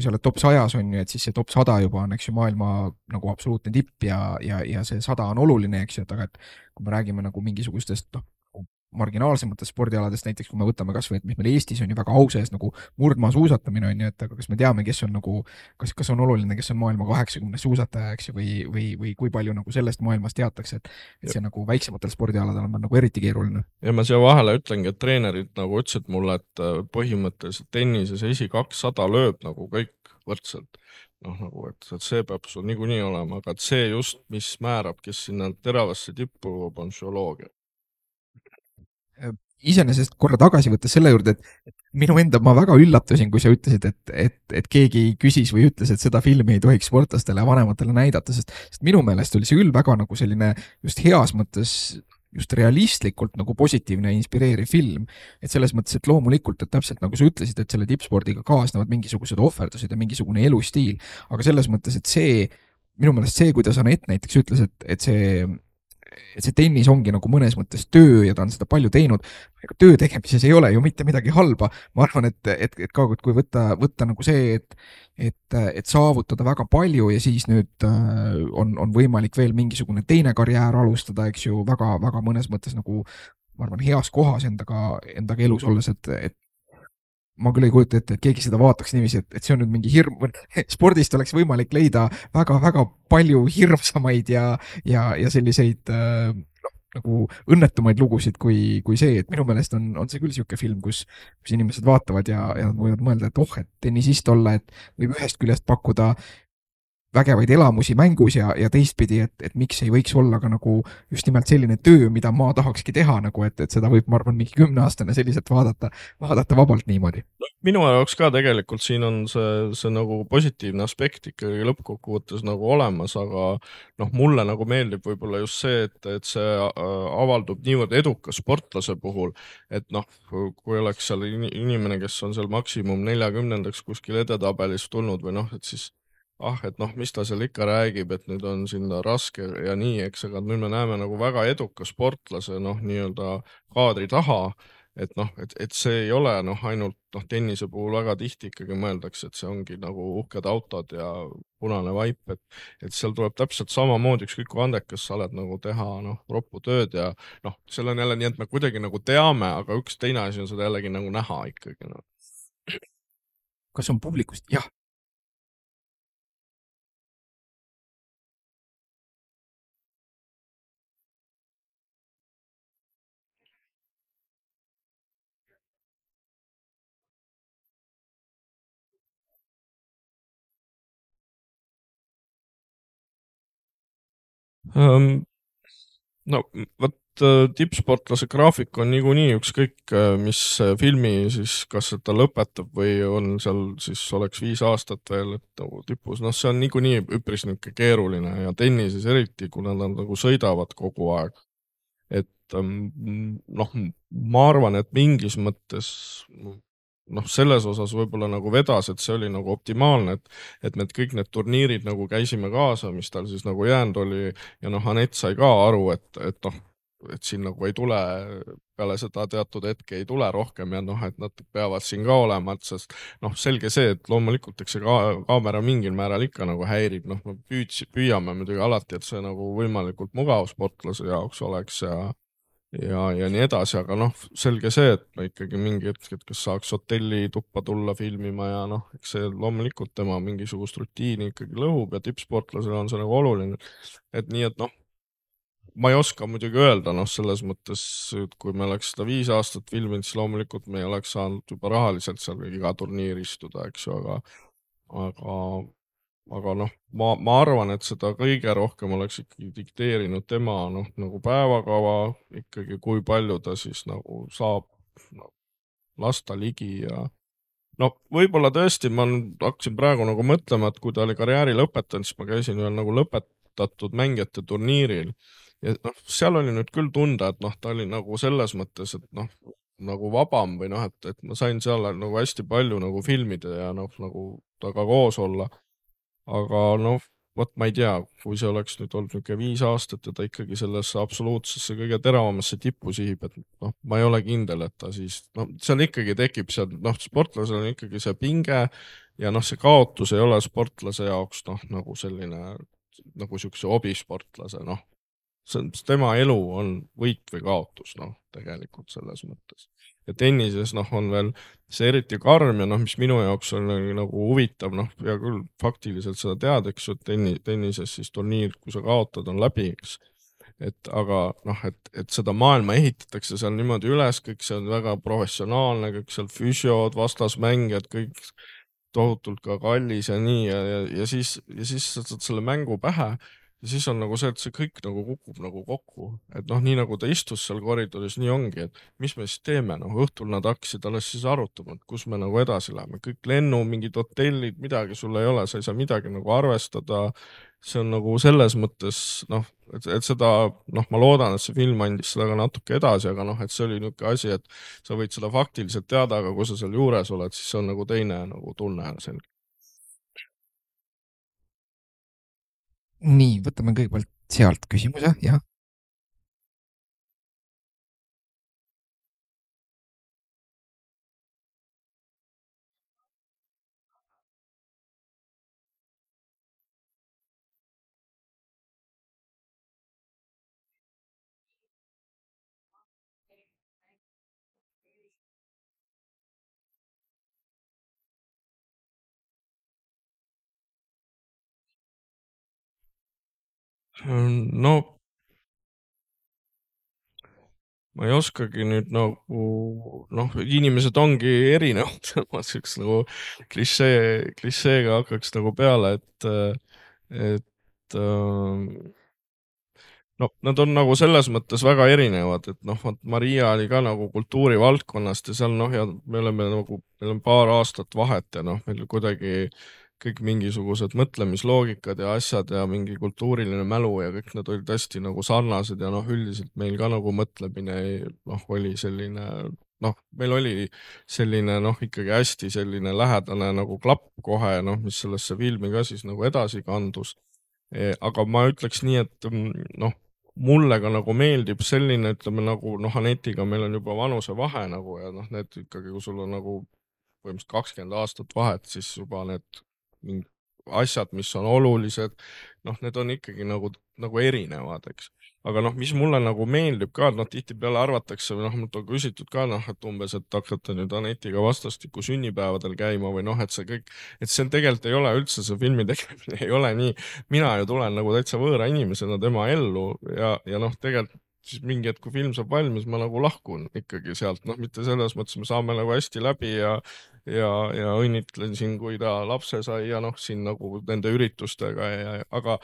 sa oled top 100 on ju, et siis see top 100 juba on, eks ju, maailma nagu absoluutne tipp ja see 100 on oluline, eks ju, et aga et kui me räägime nagu mingisugustest marginaalsematest spordialadest, näiteks kui me võtame kas või, et mis meil Eestis on ju väga au sees nagu murdmaa suusatamine on ju, et aga kas me teame, kes on nagu, kas on oluline, kes on maailma 80 suusataja, eks ju, või kui palju nagu sellest maailmast teatakse, et see nagu väiksematel spordialadel on nagu eriti keeruline. Ja ma siia vahele ütlengi, et treenerid nagu ütlesid mulle, et põhimõtteliselt tennises 200 lööb nagu kõik võrdselt. Nagu, et see peab sul niikuinii olema, aga et see just, mis määrab, kes sinna teravasse tippu on psühholoogia. Iseenesest korra tagasi võttes selle juurde, et minu enda, ma väga üllatusin, kui sa ütlesid, et keegi küsis või ütles, et seda filmi ei tohiks sportlastele ja vanematele näidata, sest minu meelest oli see küll väga nagu selline just heas mõttes just realistlikult nagu positiivne ja inspireeriv film. Et selles mõttes, et loomulikult, et täpselt nagu sa ütlesid, et selle tippspordiga kaasnevad mingisugused ohverdused ja mingisugune elustiil, aga selles mõttes, et see, minu meelest see, kuidas Anett näiteks ütles, et see tennis ongi nagu mõnes mõttes töö ja ta on seda palju teinud, aga töö tegemises ei ole ju mitte midagi halba. Ma arvan, et ka kui võtta nagu see, et saavutada väga palju ja siis nüüd on võimalik veel mingisugune teine karjäär alustada, eks ju, väga, väga mõnes mõttes nagu, ma arvan, heas kohas endaga elus olles, et ma küll ei kujuta ette, et keegi seda vaataks niiviisi, et see on nüüd mingi hirm, spordist oleks võimalik leida väga-väga palju hirmsamaid ja selliseid nagu õnnetumaid lugusid kui see, et minu meelest on see küll niisugune film, kus inimesed vaatavad ja võivad mõelda, et et tennisist olla, et võib ühest küljest pakkuda vägevaid elamusi mängus ja teistpidi, et miks ei võiks olla ka nagu just nimelt selline töö, mida ma tahakski teha nagu, et seda võib, ma arvan, mingi 10-aastane selliselt vaadata vabalt niimoodi. Minu jaoks ka tegelikult siin on see nagu positiivne aspekt ikkagi lõppkokkuvõttes nagu olemas, aga noh, mulle nagu meeldib võib-olla just see, et see avaldub niivõrd eduka sportlase puhul, et noh, kui oleks seal inimene, kes on seal maksimum 40-ndaks kuskil edetabelis tulnud või noh, et siis et noh, mis ta seal ikka räägib, et nüüd on sinna raske ja nii, eks, aga nüüd me näeme nagu väga eduka sportlase noh, nii-öelda kaadri taha, et noh, et see ei ole noh, ainult noh, tennise puhul väga tihti ikkagi mõeldakse, et see ongi nagu uhked autod ja punane vaip, et seal tuleb täpselt samamoodi, ükskõik kui andekas sa oled nagu teha noh, roppu tööd ja noh, seal on jälle nii, et me kuidagi nagu teame, aga üks teine asi on seda jällegi nagu näha ikkagi noh. Kas on publikust? Jah. No vot tippsportlase graafik on niikuinii ükskõik mis filmi siis, kas ta lõpetab või on seal siis oleks 5 aastat veel nagu tipus, noh see on niikuinii üpris niisugune keeruline ja tennises eriti, kuna nad nagu sõidavad kogu aeg. Et noh, ma arvan, et mingis mõttes noh, selles osas võib-olla nagu vedas, et see oli nagu optimaalne, et me kõik need turniirid nagu käisime kaasa, mis tal siis nagu jäänud oli ja noh, Anett sai ka aru, et noh, et siin nagu ei tule, peale seda teatud hetke ei tule rohkem ja noh, et nad peavad siin ka olema, et sest noh, selge see, et loomulikult, eks see kaamera mingil määral ikka nagu häirib, noh, me püüame muidugi alati, et see nagu võimalikult mugav sportlase jaoks oleks ja nii edasi, aga noh, selge see, et me ikkagi mingi hetk, et kas saaks hotelli tuppa tulla filmima ja noh, eks see loomulikult tema mingisugust rutiini ikkagi lõhub ja tippsportlasele on see nagu oluline. Et nii, et noh, ma ei oska muidugi öelda, noh, selles mõttes, et kui me oleks seda 5 aastat filminud, siis loomulikult me ei oleks saanud juba rahaliselt seal iga turniir istuda, eks ju, aga aga noh, ma arvan, et seda kõige rohkem oleks ikkagi dikteerinud tema noh, nagu päevakava ikkagi, kui palju ta siis nagu saab no, lasta ligi ja no võib-olla tõesti, ma hakkasin praegu nagu mõtlema, et kui ta oli karjääri lõpetanud, siis ma käisin ühel nagu lõpetatud mängijate turniiril ja noh, seal oli nüüd küll tunda, et noh, ta oli nagu selles mõttes, et noh, nagu vabam või noh, et ma sain seal nagu hästi palju nagu filmida ja noh, nagu temaga koos olla aga noh, vot ma ei tea, kui see oleks nüüd olnud niisugune 5 aastat ja ta ikkagi sellesse absoluutsesse kõige teravamasse tippu sihib, et noh, ma ei ole kindel, et ta siis, noh, seal ikkagi tekib seal, noh, sportlasel on ikkagi see pinge ja noh, see kaotus ei ole sportlase jaoks noh, nagu selline nagu niisuguse hobisportlase, noh, tema elu on võit või kaotus, noh, tegelikult selles mõttes. Ja tennises, noh, on veel see eriti karm ja noh, mis minu jaoks on nagu huvitav, noh, hea küll faktiliselt seda tead, eks ju, et tennises siis turniir, kui sa kaotad, on läbi, eks. Et aga noh, et seda maailma ehitatakse seal niimoodi üles, kõik see on väga professionaalne, kõik seal füsiod, vastasmängijad, kõik tohutult ka kallis ja nii ja siis sa saad selle mängu pähe ja siis on nagu see, et see kõik nagu kukub nagu kokku, et noh, nii nagu ta istus seal koridoris, nii ongi, et mis me siis teeme, noh, õhtul nad hakkasid alles siis arutama, et kus me nagu edasi läheme, kõik lennu, mingid hotellid, midagi sul ei ole, sa ei saa midagi nagu arvestada. see on nagu selles mõttes noh, et seda noh, ma loodan, et see film andis seda ka natuke edasi, aga noh, et see oli niisugune asi, et sa võid seda faktiliselt teada, aga kui sa seal juures oled, siis see on nagu teine nagu tunne selge. nii, võtame kõigepealt sealt küsimuse, jah. no ma ei oskagi nüüd nagu, noh, inimesed ongi erinevad, ma siuks nagu klišeega hakkaks nagu peale, et no nad on nagu selles mõttes väga erinevad, et noh, vot Maria oli ka nagu kultuurivaldkonnast ja seal noh, ja me oleme nagu, meil on paar aastat vahet ja noh, meil kuidagi kõik mingisugused mõtlemisloogikad ja asjad ja mingi kultuuriline mälu ja kõik need olid hästi nagu sarnased ja noh, üldiselt meil ka nagu mõtlemine noh, oli selline, noh, meil oli selline noh, ikkagi hästi selline lähedane nagu klapp kohe, noh, mis sellesse filmi ka siis nagu edasi kandus. Aga ma ütleks nii, et noh, mulle ka nagu meeldib selline, ütleme nagu noh, Anetiga meil on juba vanusevahe nagu ja noh, need ikkagi, kui sul on nagu põhimõtteliselt 20 aastat vahet, siis juba need asjad, mis on olulised, noh, need on ikkagi nagu erinevad, eks. Aga noh, mis mulle nagu meeldib ka, et noh, tihtipeale arvatakse või noh, mult on küsitud ka noh, et umbes, et hakkate nüüd Anetiga vastastikku sünnipäevadel käima või noh, et see kõik, et see tegelikult ei ole üldse, see filmi tegemine ei ole nii, mina ju tulen nagu täitsa võõra inimesena tema ellu ja noh, tegelikult siis mingi hetk, kui film saab valmis, ma nagu lahkun ikkagi sealt, noh, mitte selles mõttes, me saame nagu hästi läbi ja õnnitlen siin, kui ta lapse sai ja noh, siin nagu nende üritustega aga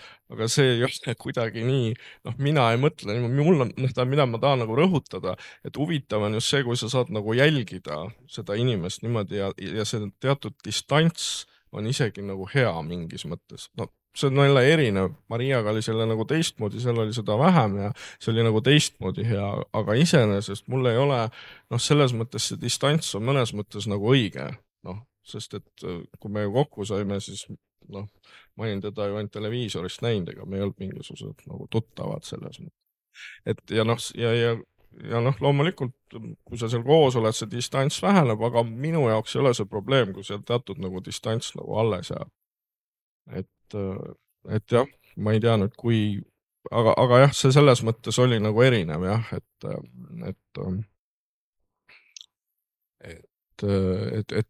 see ei ole kuidagi nii, noh, mina ei mõtle, mul on, noh, mida ma tahan nagu rõhutada, et huvitav on just see, kui sa saad nagu jälgida seda inimest niimoodi ja see teatud distants on isegi nagu hea mingis mõttes, no see on jälle erinev, Mariaga oli selle nagu teistmoodi, seal oli seda vähem ja see oli nagu teistmoodi hea, aga iseenesest mul ei ole, noh, selles mõttes see distants on mõnes mõttes nagu õige, noh, sest et kui me ju kokku saime, siis noh, ma olin teda ju ainult televiisorist näinud, ega me ei olnud mingisugused nagu tuttavad selles mõttes. Et ja noh, ja noh, loomulikult, kui sa seal koos oled, see distants väheneb, aga minu jaoks ei ole see probleem, kui seal teatud nagu distants nagu alles jääb. Et jah, ma ei tea nüüd, aga jah, see selles mõttes oli nagu erinev jah, et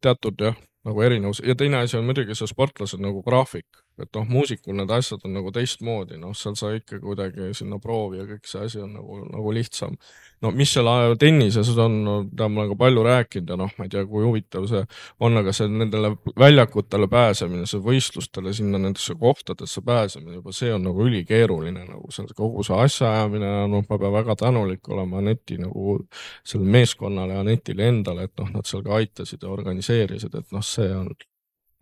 teatud jah, nagu erinevus ja teine asi on muidugi see sportlased nagu graafik, et noh, muusikul need asjad on nagu teistmoodi, noh, seal sa ikka kuidagi sinna proovi ja kõik see asi on nagu lihtsam. No mis seal tennises on, no, mida ma olen ka palju rääkinud ja noh, ma ei tea, kui huvitav see on, aga see nendele väljakutele pääsemine, see võistlustele sinna nendesse kohtadesse pääsemine, juba see on nagu ülikeeruline, nagu see kogu see asjaajamine, noh, ma pean väga tänulik olema Aneti nagu selle meeskonnale ja Anetile endale, et noh, nad seal ka aitasid ja organiseerisid, et noh, see on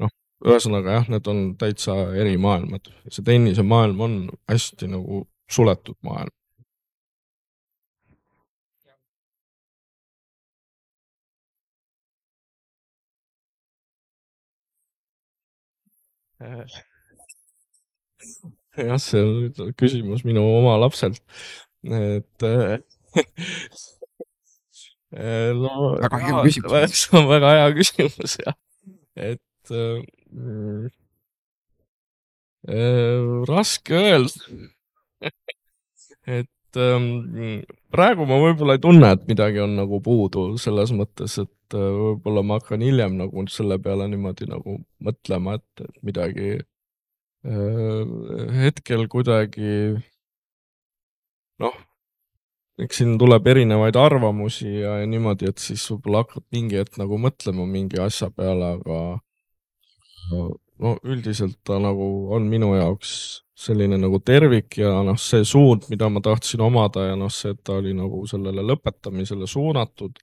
noh, ühesõnaga jah, need on täitsa eri maailmad. See tennise maailm on hästi nagu suletud maailm. Jah, see on nüüd küsimus minu oma lapselt, et no väga hea küsimus. see on väga hea küsimus jah, et raske öelda, et praegu ma võib-olla ei tunne, et midagi on nagu puudu selles mõttes, et võib-olla ma hakkan hiljem nagu selle peale niimoodi nagu mõtlema, et midagi hetkel kuidagi noh, eks siin tuleb erinevaid arvamusi ja niimoodi, et siis võib-olla hakkad mingi hetk nagu mõtlema mingi asja peale, aga no üldiselt ta nagu on minu jaoks selline nagu tervik ja noh, see suund, mida ma tahtsin omada ja noh, see, et ta oli nagu sellele lõpetamisele suunatud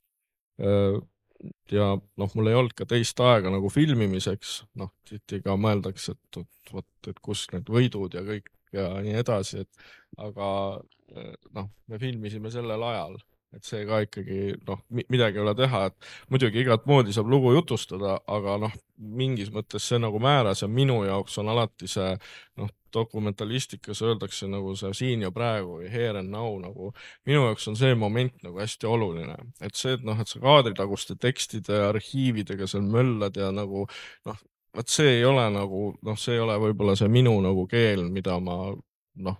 ja noh, mul ei olnud ka teist aega nagu filmimiseks, noh, tihti ka mõeldakse, et vot, et kus need võidud ja kõik ja nii edasi, et aga noh, me filmisime sellel ajal, et see ka ikkagi noh, midagi ei ole teha, et muidugi igat moodi saab lugu jutustada, aga noh, mingis mõttes see nagu määras ja minu jaoks on alati see noh, dokumentalistikas öeldakse nagu see siin ja praegu või here and now nagu minu jaoks on see moment nagu hästi oluline, et see, et noh, et sa kaadritaguste tekstide ja arhiividega seal möllad ja nagu noh, vot see ei ole nagu noh, see ei ole võib-olla see minu nagu keel, mida ma noh,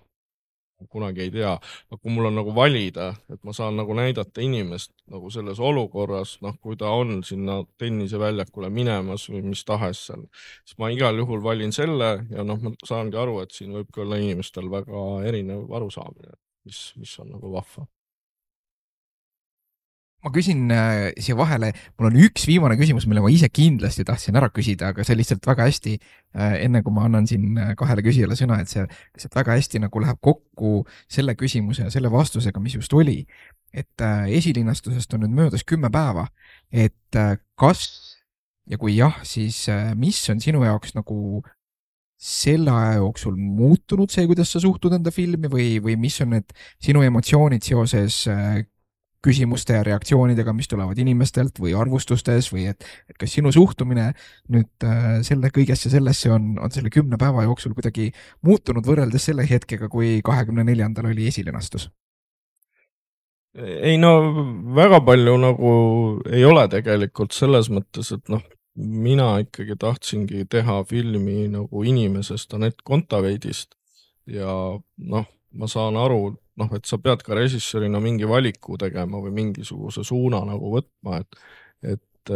kunagi ei tea. Aga kui mul on nagu valida, et ma saan nagu näidata inimest nagu selles olukorras, noh, kui ta on sinna tenniseväljakule minemas või mis tahes seal, siis ma igal juhul valin selle ja noh, ma saangi aru, et siin võibki olla inimestel väga erinev arusaamine, mis on nagu vahva. ma küsin siia vahele, mul on üks viimane küsimus, mille ma ise kindlasti tahtsin ära küsida, aga see lihtsalt väga hästi, enne kui ma annan siin kahele küsijale sõna, et see lihtsalt väga hästi nagu läheb kokku selle küsimuse ja selle vastusega, mis just oli. et esilinastusest on nüüd möödas 10 päeva, et kas ja kui jah, siis mis on sinu jaoks nagu selle aja jooksul muutunud see, kuidas sa suhtud enda filmi või mis on need sinu emotsioonid seoses küsimuste ja reaktsioonidega, mis tulevad inimestelt või arvustustes või et kas sinu suhtumine nüüd selle kõigesse sellesse on selle 10 päeva jooksul kuidagi muutunud võrreldes selle hetkega, kui 24. oli esilinastus? ei no väga palju nagu ei ole tegelikult selles mõttes, et noh, mina ikkagi tahtsingi teha filmi nagu inimesest Anett Kontaveidist ja noh, ma saan aru, noh, et sa pead ka režissöörina mingi valiku tegema või mingisuguse suuna nagu võtma, et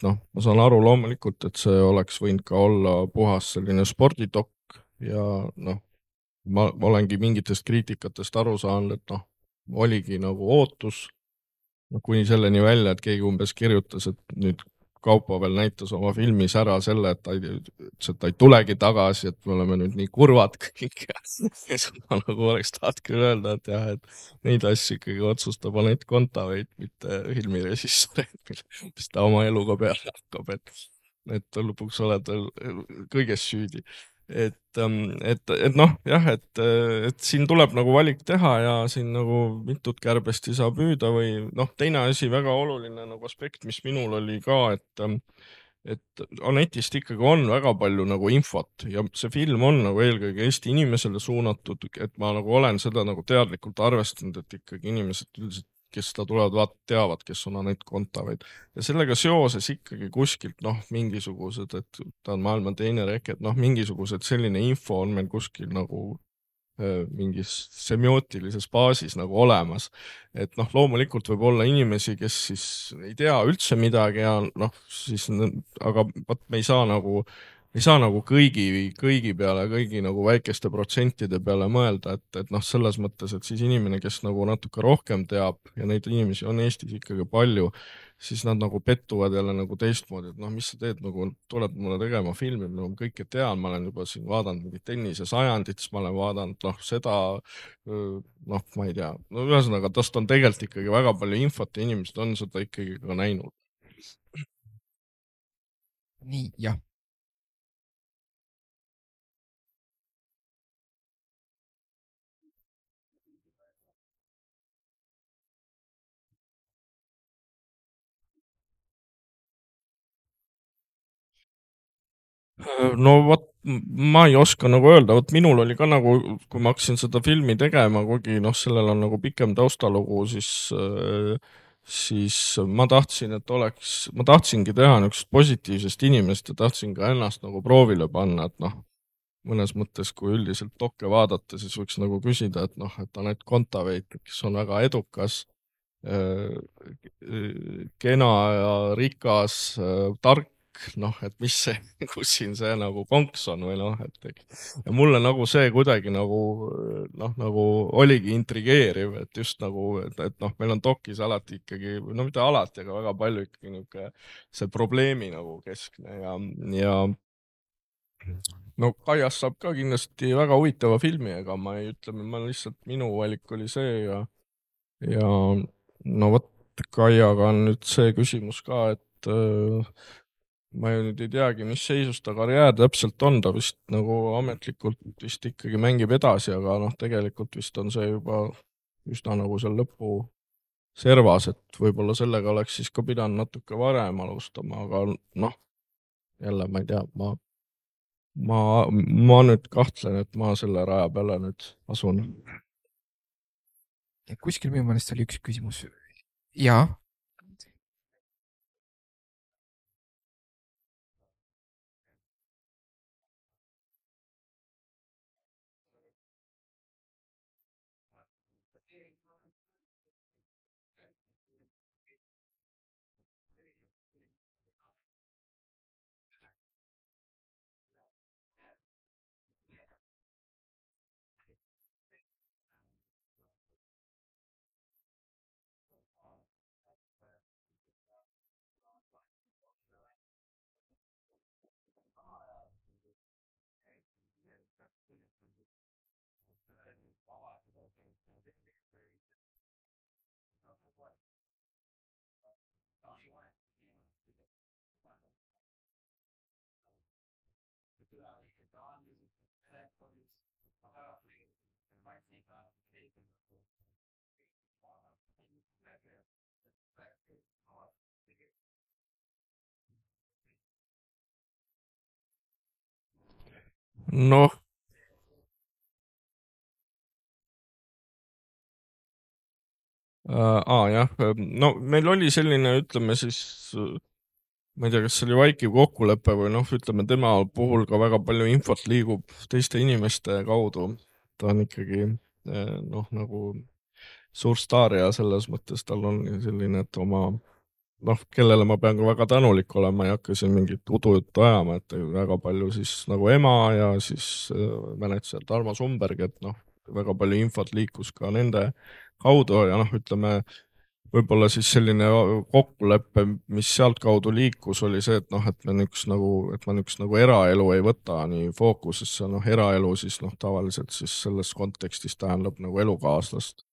noh, ma saan aru loomulikult, et see oleks võinud ka olla puhas selline spordidokk ja noh, ma olengi mingitest kriitikatest aru saanud, et noh, oligi nagu ootus, kuni selleni välja, et keegi umbes kirjutas, et nüüd Kaupo veel näitas oma filmis ära selle, et ta ütles, et ta ei tulegi tagasi, et me oleme nüüd nii kurvad kõik ja siis ma nagu oleks tahtnud küll öelda, et jah, et neid asju ikkagi otsustab Anett Kontaveit, mitte filmirežissöör, mis ta oma eluga peale hakkab, et lõpuks oled veel kõiges süüdi. Et noh, jah, et siin tuleb nagu valik teha ja siin nagu mitut kärbest ei saa püüda või noh, teine asi, väga oluline nagu aspekt, mis minul oli ka, et Anetist ikkagi on väga palju nagu infot ja see film on nagu eelkõige Eesti inimesele suunatud, et ma nagu olen seda nagu teadlikult arvestanud, et ikkagi inimesed üldiselt, kes seda tulevad teavad, kes on Anett Kontaveit. Ja sellega seoses ikkagi kuskilt noh, mingisugused, et ta on maailma teine reke, et noh, mingisugused selline info on meil kuskil nagu mingis semiootilises baasis nagu olemas. Et noh, loomulikult võib olla inimesi, kes siis ei tea üldse midagi ja noh, siis aga vot me ei saa nagu kõigi peale, kõigi nagu väikeste protsentide peale mõelda, et noh, selles mõttes, et siis inimene, kes nagu natuke rohkem teab ja neid inimesi on Eestis ikkagi palju, siis nad nagu pettuvad jälle nagu teistmoodi, et noh, mis sa teed, nagu tuled mulle tegema filmi, ma kõike tean, ma olen juba siin vaadanud mingit tennisesajandit, siis ma olen vaadanud noh, seda noh, ma ei tea, no ühesõnaga, tast on tegelikult ikkagi väga palju infot ja inimesed on seda ikkagi ka näinud. nii, jah. no vot, ma ei oska nagu öelda, vot minul oli ka nagu, kui ma hakkasin seda filmi tegema, kuigi noh, sellel on nagu pikem taustalugu, siis ma tahtsin, et ma tahtsingi teha niisugust positiivsest inimest ja tahtsin ka ennast nagu proovile panna, et noh, mõnes mõttes, kui üldiselt dokke vaadata, siis võiks nagu küsida, et noh, et Anett Kontaveit, kes on väga edukas, kena ja rikas, tark, noh, et mis see, kus siin see nagu konks on või noh, et ja mulle nagu see kuidagi nagu noh, nagu oligi intrigeeriv, et just nagu, et noh, meil on dokis alati ikkagi, no mitte alati, aga väga palju ikkagi niisugune see probleemi nagu keskne ja no Kaiast saab ka kindlasti väga huvitava filmi, ega ma ei ütle, ma lihtsalt, minu valik oli see ja no vot, Kaiaga on nüüd see küsimus ka, et ma ju nüüd ei teagi, mis seisus ta karjäär täpselt on, ta vist nagu ametlikult vist ikkagi mängib edasi, aga noh, tegelikult vist on see juba üsna nagu seal lõpuservas, et võib-olla sellega oleks siis ka pidanud natuke varem alustama, aga noh, jälle ma ei tea, ma nüüd kahtlen, et ma selle raja peale nüüd asun. kuskil minu meelest oli üks küsimus. jaa. noh, jah, no meil oli selline, ütleme siis, ma ei tea, kas see oli vaikiv kokkulepe või noh, ütleme tema puhul ka väga palju infot liigub teiste inimeste kaudu. ta on ikkagi noh, nagu suur staar ja selles mõttes tal on selline, et oma noh, kellele ma pean ka väga tänulik olema, ei hakka siin mingit udujuttu ajama, et väga palju siis nagu ema ja siis mänedžer Tarmo Sumberg, et noh, väga palju infot liikus ka nende kaudu ja noh, ütleme võib-olla siis selline kokkulepe, mis sealtkaudu liikus, oli see, et noh, et me et ma niisugust nagu eraelu ei võta nii fookusesse, noh, eraelu siis noh, tavaliselt siis selles kontekstis tähendab nagu elukaaslast.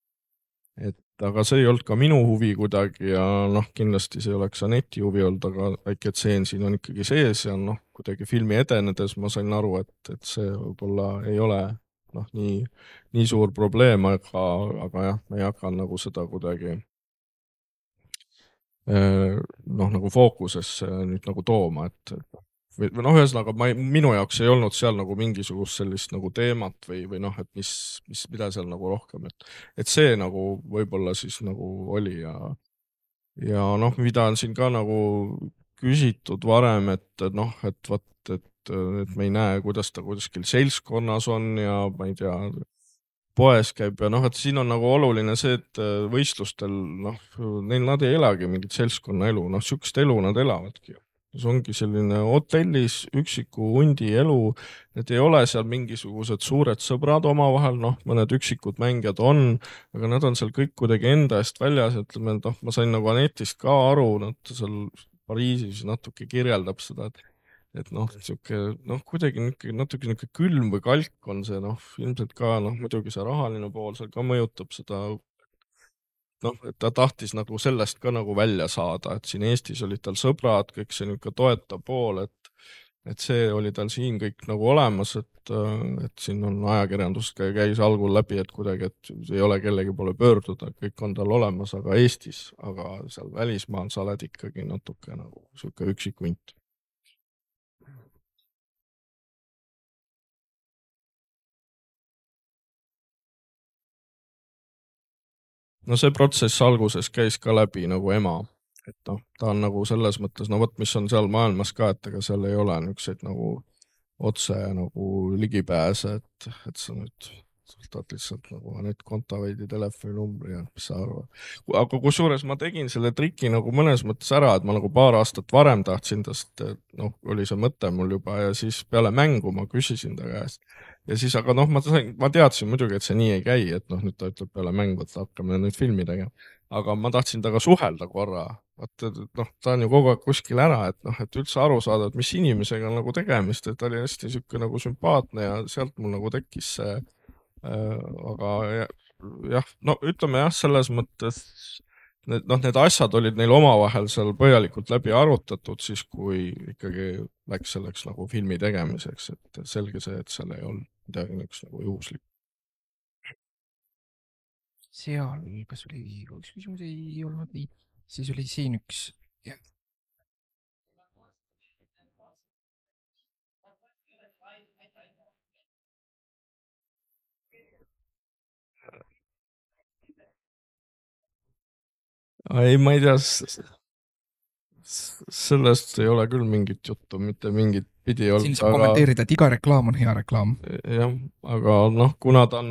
Et aga see ei olnud ka minu huvi kuidagi ja noh, kindlasti see ei oleks Aneti huvi olnud, aga väike tseen siin on ikkagi sees ja noh, kuidagi filmi edenedes ma sain aru, et see võib-olla ei ole noh, nii suur probleem, aga jah, ma ei hakanud nagu seda kuidagi noh, nagu fookusesse nüüd nagu tooma, et või noh, ühesõnaga minu jaoks ei olnud seal nagu mingisugust sellist nagu teemat või noh, et mida seal nagu rohkem, et see nagu võib-olla siis nagu oli ja noh, mida on siin ka nagu küsitud varem, et noh, et vot, et me ei näe, kuidas ta kuskil seltskonnas on ja ma ei tea, poes käib ja noh, et siin on nagu oluline see, et võistlustel noh, nad ei elagi mingit seltskonnaelu, noh, sihukest elu nad elavadki. see ongi selline hotellis üksiku hundi elu, et ei ole seal mingisugused suured sõbrad omavahel, noh, mõned üksikud mängijad on, aga nad on seal kõik kuidagi enda eest väljas, ütleme, et noh, ma sain nagu Anetist ka aru, nad seal Pariisis natuke kirjeldab seda, et noh, sihuke noh, kuidagi natuke niisugune külm või kalk on see noh, ilmselt ka noh, muidugi see rahaline pool seal ka mõjutab seda, noh, et ta tahtis nagu sellest ka nagu välja saada, et siin Eestis olid tal sõbrad, kõik see niisugune toetav pool, et see oli tal siin kõik nagu olemas, et siin on ajakirjandus käis algul läbi, et kuidagi, et ei ole kellegi poole pöörduda, kõik on tal olemas, aga Eestis, aga seal välismaal sa oled ikkagi natuke nagu niisugune üksik hunt. no see protsess alguses käis ka läbi nagu ema, et noh, ta on nagu selles mõttes, no vot, mis on seal maailmas ka, et ega seal ei ole niisuguseid nagu otse nagu ligipääse, et sa nüüd võtad lihtsalt nagu Anett Kontaveidi telefoninumbri ja mis sa arvad. aga kusjuures ma tegin selle triki nagu mõnes mõttes ära, et ma nagu paar aastat varem tahtsin tast, noh, oli see mõte mul juba ja siis peale mängu ma küsisin ta käest ja siis, aga noh, ma teadsin muidugi, et see nii ei käi, et noh, nüüd ta ütleb peale mängu, et hakkame nüüd filmi tegema. aga ma tahtsin temaga suhelda korra, vaata, noh, ta on ju kogu aeg kuskil ära, et noh, et üldse aru saada, et mis inimesega on nagu tegemist, et ta oli hästi niisugune nagu sümpaatne ja sealt mul nagu tekkis see, aga jah, no ütleme jah, selles mõttes need asjad olid neil omavahel seal põhjalikult läbi arutatud siis, kui ikkagi läks selleks nagu filmi tegemiseks, et selge see, et seal ei olnud midagi niisugust nagu juhuslikku. seal, kas oli üks küsimus, ei olnud nii, siis oli siin üks. ei, ma ei tea, sellest ei ole küll mingit juttu, mitte mingit pidi siin olnud, saab kommenteerida, et iga reklaam on hea reklaam. jah, aga noh, kuna ta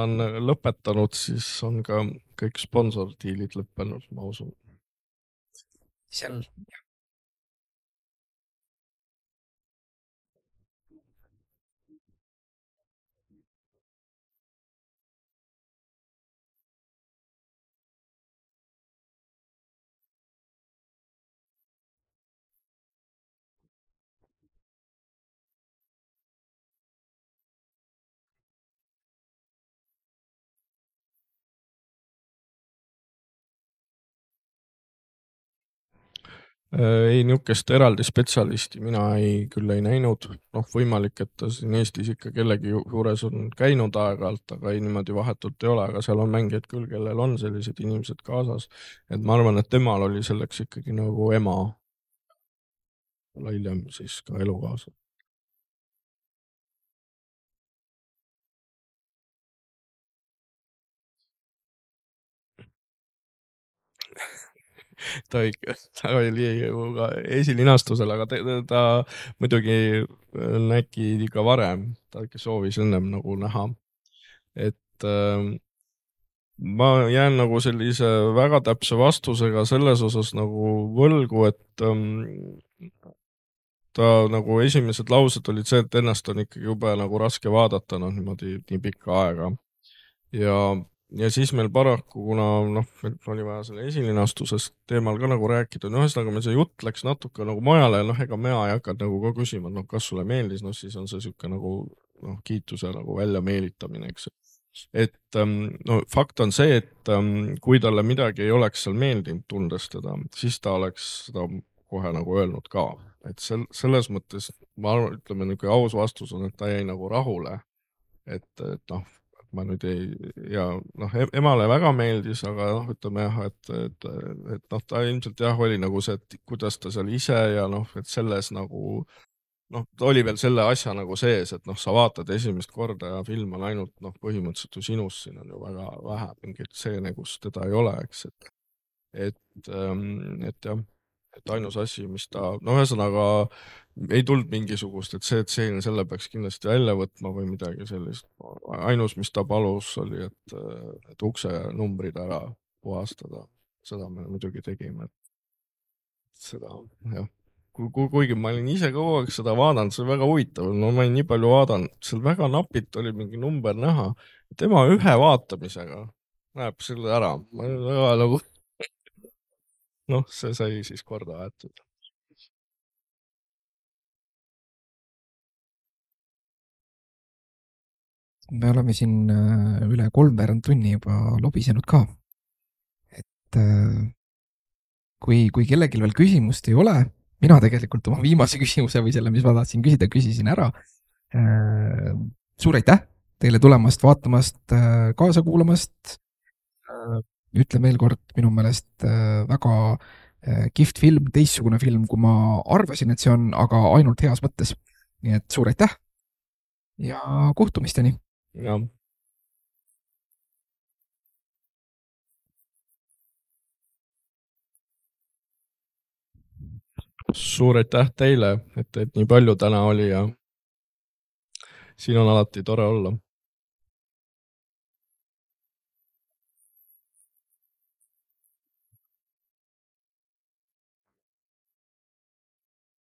on lõpetanud, siis on ka kõik sponsordiilid lõppenud, ma usun. seal Ei, niisugust eraldi spetsialisti mina küll ei näinud. Noh, võimalik, et ta siin Eestis ikka kellegi juures on käinud aeg-ajalt, aga ei niimoodi vahetult ei ole, aga seal on mängijaid küll, kellel on sellised inimesed kaasas. Et ma arvan, et temal oli selleks ikkagi nagu ema hiljem siis ka elukaasa. ta oli ju ka esilinastusel, aga ta muidugi nägi ka varem, ta ikka soovis ennem nagu näha. Et ma jään nagu sellise väga täpse vastusega selles osas nagu võlgu, et ta nagu esimesed laused olid see, et ennast on ikkagi jube nagu raske vaadata, noh niimoodi nii pikka aega. Ja siis meil paraku, kuna noh, meil oli vaja selle esilinastusest teemal ka nagu rääkida, no ühesõnaga meil see jutt läks natuke nagu mujale, noh ega mina ei hakanud nagu ka küsima, noh kas sulle meeldis, noh siis on see sihuke nagu noh, kiituse nagu välja meelitamine, eks. Et no fakt on see, et kui talle midagi ei oleks seal meeldinud tundes teda, siis ta oleks seda kohe nagu öelnud ka. Et selles mõttes ma arvan, ütleme niisugune aus vastus on, et ta jäi nagu rahule. Et noh, ma nüüd ei, ja noh, emale väga meeldis, aga noh, ütleme jah, et noh, ta ilmselt jah, oli nagu see, et kuidas ta seal ise ja noh, et selles nagu noh, ta oli veel selle asja nagu sees, et noh, sa vaatad esimest korda ja film on ainult noh, põhimõtteliselt ju sinust, siin on ju väga vähe mingeid stseene, kus teda ei ole, eks, et jah, et ainus asi, mis ta, no ühesõnaga ei tulnud mingisugust, et see tseen, selle peaks kindlasti välja võtma või midagi sellist. Ainus, mis ta palus, oli, et ukse numbrid ära puhastada. Seda me muidugi tegime. Seda, jah. Kuigi ma olin ise kogu aeg seda vaadanud, see oli väga huvitav, no ma olin nii palju vaadanud, seal väga napilt oli mingi number näha. Tema ühe vaatamisega näeb selle ära. Ma olin väga nagu noh, see sai siis korda aetud. me oleme siin üle 3/4 tunni juba lobisenud ka. Et kui kellelgi veel küsimust ei ole, mina tegelikult oma viimase küsimuse või selle, mis ma tahtsin küsida, küsisin ära. Suur aitäh teile tulemast, vaatamast, kaasa kuulamast. Ütlen veel kord, minu meelest väga kihvt film, teistsugune film, kui ma arvasin, et see on, aga ainult heas mõttes. Nii et suur aitäh ja kohtumisteni! Ja. Suur aitäh teile, et nii palju täna oli ja siin on alati tore olla.